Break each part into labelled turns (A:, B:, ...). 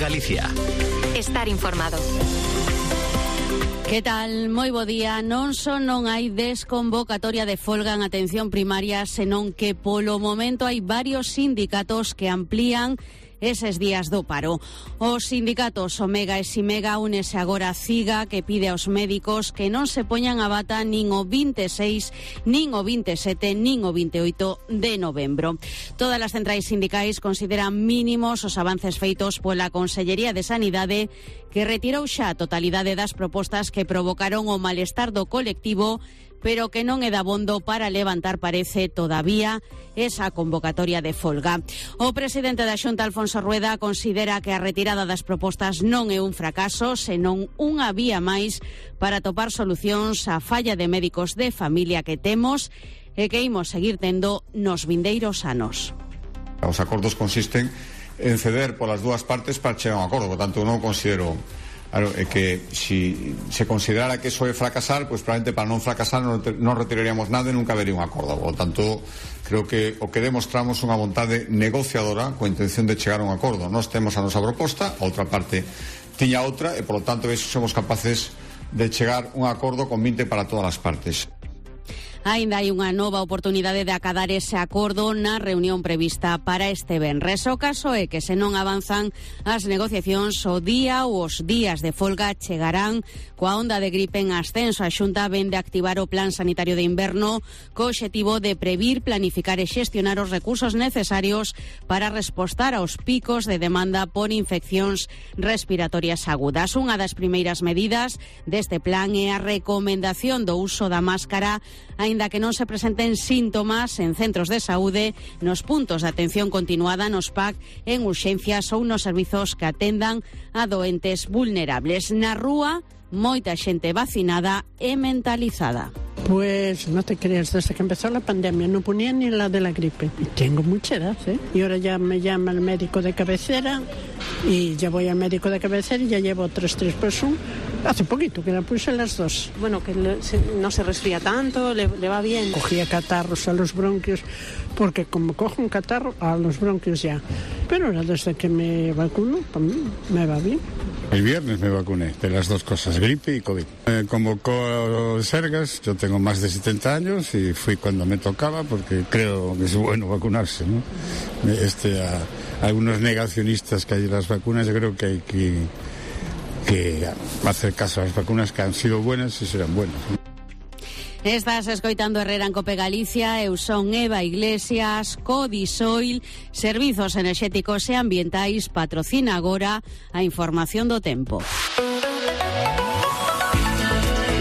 A: Galicia.
B: Estar informado.
C: Que tal? Moi bo día. Non só non hai desconvocatoria de folga en atención primaria, senón que polo momento hai varios sindicatos que amplían eses días do paro. Os sindicatos Omega e Simega únese agora a CIGA, que pide aos médicos que non se poñan a bata nin o 26, nin o 27, nin o 28 de novembro. Todas as centrais sindicais consideran mínimos os avances feitos pola Consellería de Sanidade, que retirou xa a totalidade das propostas que provocaron o malestar do colectivo, pero que non é dabondo para levantar, parece, todavía esa convocatoria de folga. O presidente da Xunta, Alfonso Rueda, considera que a retirada das propostas non é un fracaso, senón unha vía máis para topar solucións á falla de médicos de familia que temos e que imos seguir tendo nos vindeiros anos.
D: Os acordos consisten en ceder polas dúas partes para chegar a un acordo, por tanto non considero que si se considerara que eso é fracasar, pues probablemente para non fracasar non retiraríamos nada e nunca habería un acordo. Por lo tanto, creo que o que demostramos unha vontade negociadora coa intención de chegar a un acordo. Nós temos a nosa proposta, a outra parte tiña outra e, por lo tanto, somos capaces de chegar a un acordo con 20 para todas as partes.
C: Ainda hai unha nova oportunidade de acadar ese acordo na reunión prevista para este venres. O caso é que se non avanzan as negociacións, o día ou os días de folga chegarán coa onda de gripe en ascenso. A Xunta vén de activar o Plan Sanitario de Inverno co obxectivo de previr, planificar e xestionar os recursos necesarios para respostar aos picos de demanda por infeccións respiratorias agudas. Unha das primeiras medidas deste plan é a recomendación do uso da máscara, aínda que non se presenten síntomas en centros de saúde, nos puntos de atención continuada, nos PAC, en urxencias ou nos servizos que atendan a doentes vulnerables. Na rúa, moita xente vacinada e mentalizada.
E: Pues no te creas, desde que empezó la pandemia no ponía ni la de la gripe. Y tengo mucha edad, ¿eh? Y ahora ya me llama el médico de cabecera y ya voy al médico de cabecera y ya llevo 3 por 1. Hace poquito que la puse las 2.
F: Bueno, que no se resfría tanto, le va bien.
E: Cogía catarros a los bronquios, porque como cojo un catarro, a los bronquios ya. Pero ahora desde que me vacuno, me va bien.
G: El viernes me vacuné de las dos cosas, gripe y COVID. Me convocó Sergas, yo tengo más de 70 años y fui cuando me tocaba porque creo que es bueno vacunarse, ¿no? A algunos negacionistas que hay de las vacunas, yo creo que hay que hacer caso a las vacunas que han sido buenas y serán buenas, ¿no?
C: Estás escoitando Herrera en Cope Galicia. Eu son Eva Iglesias. Codisoil, Servizos Enerxéticos e Ambientais, patrocina agora a información do tempo.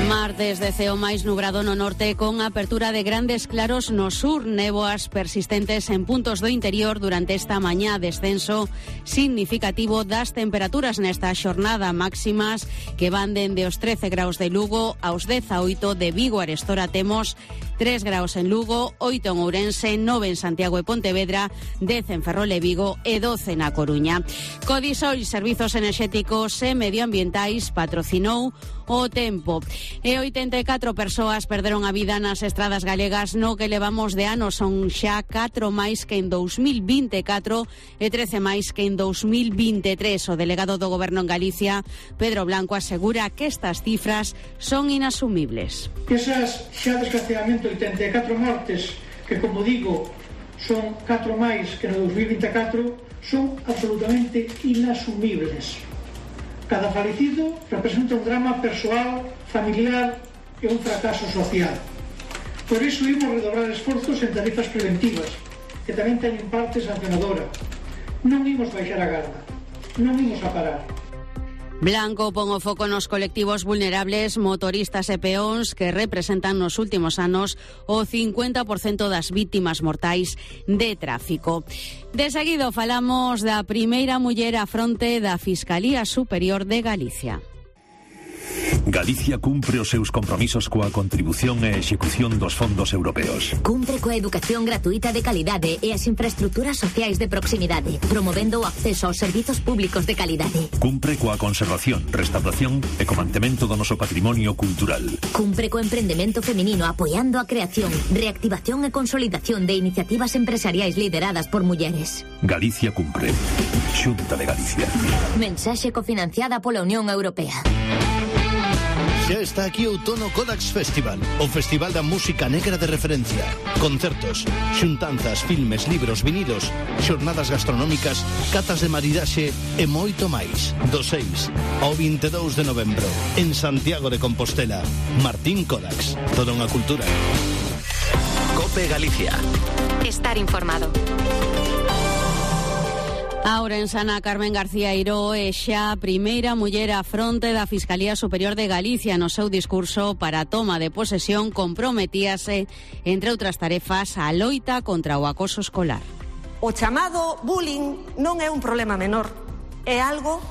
C: Martes de ceo máis nubrado no norte, con apertura de grandes claros no sur, néboas persistentes en puntos do interior durante esta mañá, descenso significativo das temperaturas nesta xornada, máximas que van dende os 13 graus de Lugo aos 18 de Vigo. Arestora temos 3 graus en Lugo, 8 en Ourense, 9 en Santiago e Pontevedra, 10 en Ferrol e Vigo e 12 na Coruña. Codisoil, Servizos Enerxéticos e Medioambientais, patrocinou o tempo. E 84 persoas perderon a vida nas estradas galegas no que levamos de ano. Son xa 4 máis que en 2024 e 13 máis que en 2023. O delegado do Goberno en Galicia, Pedro Blanco, asegura que estas cifras son inasumibles.
H: Esas xa desgraciadamente 84 mortes, que como digo son 4 máis que no 2024, son absolutamente inasumibles. Cada falecido representa un drama persoal, familiar e un fracaso social. Por iso imos redobrar esforzos en tarifas preventivas, que tamén teñen parte sancionadora. Non imos baixar a garda, non imos a parar.
C: Blanco pon o foco nos colectivos vulnerables, motoristas e peóns, que representan nos últimos anos o 50% das vítimas mortais de tráfico. De seguido falamos da primeira muller á fronte da Fiscalía Superior de Galicia.
A: Galicia cumpre os seus compromisos coa contribución e execución dos fondos europeos.
I: Cumpre coa educación gratuita de calidade e as infraestructuras sociais de proximidade, promovendo o acceso aos servizos públicos de calidade.
A: Cumpre coa conservación, restauración e co mantemento do noso patrimonio cultural.
I: Cumpre co emprendemento feminino apoiando a creación, reactivación e consolidación de iniciativas empresariais lideradas por mulleres.
A: Galicia cumpre. Xunta de Galicia.
I: Mensaxe cofinanciada pola Unión Europea.
J: Xa está aquí o Outono Codax Festival, o festival da música negra de referencia. Concertos, xuntanzas, filmes, libros, vinilos, xornadas gastronómicas, catas de maridaxe e moito máis. Do 6 ao 22 de novembro, en Santiago de Compostela. Martín Codax, toda unha cultura.
B: COPE Galicia. Estar informado.
C: A ourensana Carmen García Eiró é xa a primeira muller á fronte da Fiscalía Superior de Galicia. No seu discurso para a toma de posesión comprometíase, entre outras tarefas, a loita contra o acoso escolar.
K: O chamado bullying non é un problema menor, é algo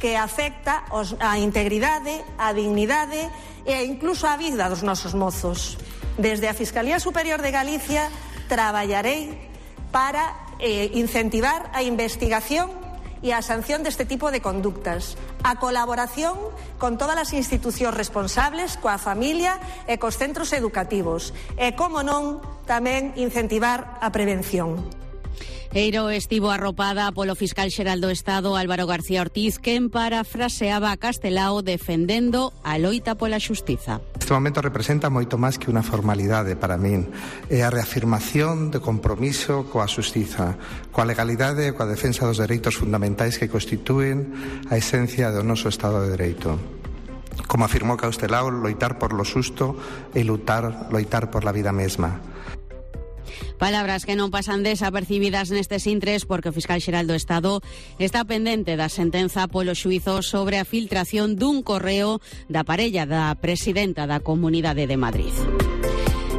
K: que afecta a integridade, a dignidade e incluso a vida dos nosos mozos. Desde a Fiscalía Superior de Galicia traballarei para incentivar a investigación e a sanción deste tipo de conductas, a colaboración con todas as institucións responsables, coa familia e cos centros educativos e, como non, tamén incentivar a prevención.
C: Eiró estivo arropada polo fiscal xeral do Estado Álvaro García Ortiz, quen parafraseaba a Castelao defendendo a loita pola xustiza.
L: Este momento representa moito máis que unha formalidade para min. É a reafirmación de compromiso coa xustiza, coa legalidade e coa defensa dos dereitos fundamentais que constitúen a esencia do noso Estado de Dereito. Como afirmou Castelao, loitar por lo xusto e loitar por la vida mesma.
C: Palabras que non pasan desapercibidas nestes intres porque o fiscal xeral do Estado está pendente da sentenza polo xuízo sobre a filtración dun correo da parella da presidenta da Comunidade de Madrid.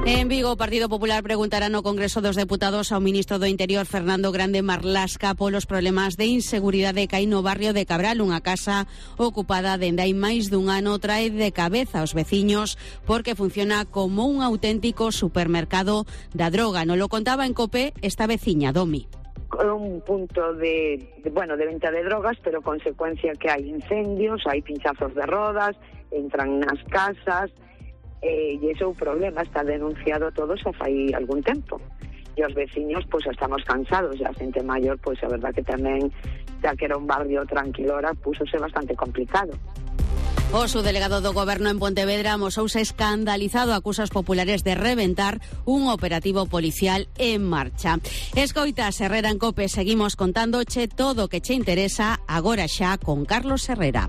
C: En Vigo, o Partido Popular preguntará no Congreso dos Deputados ao ministro do Interior, Fernando Grande Marlasca, polos problemas de inseguridade que hai no barrio de Cabral. Unha casa ocupada dende hai máis dun ano trae de cabeza aos veciños porque funciona como un auténtico supermercado da droga. Non lo contaba en COPE esta veciña, Domi.
M: Un punto de venta de drogas, pero consecuencia que hai incendios, hai pinchazos de rodas, entran nas casas. E ese é o problema, está denunciado todo xa fai algún tempo. E os veciños, pois, estamos cansados, e a xente maior, pois, a verdad que tamén, xa que era un barrio tranquilora, púsose bastante complicado.
C: O subdelegado do Goberno en Pontevedra amosouse escandalizado, acusa os populares de reventar un operativo policial en marcha. Escoitas, Herrera en COPE, seguimos contándoche todo o que che interesa agora xa con Carlos Herrera.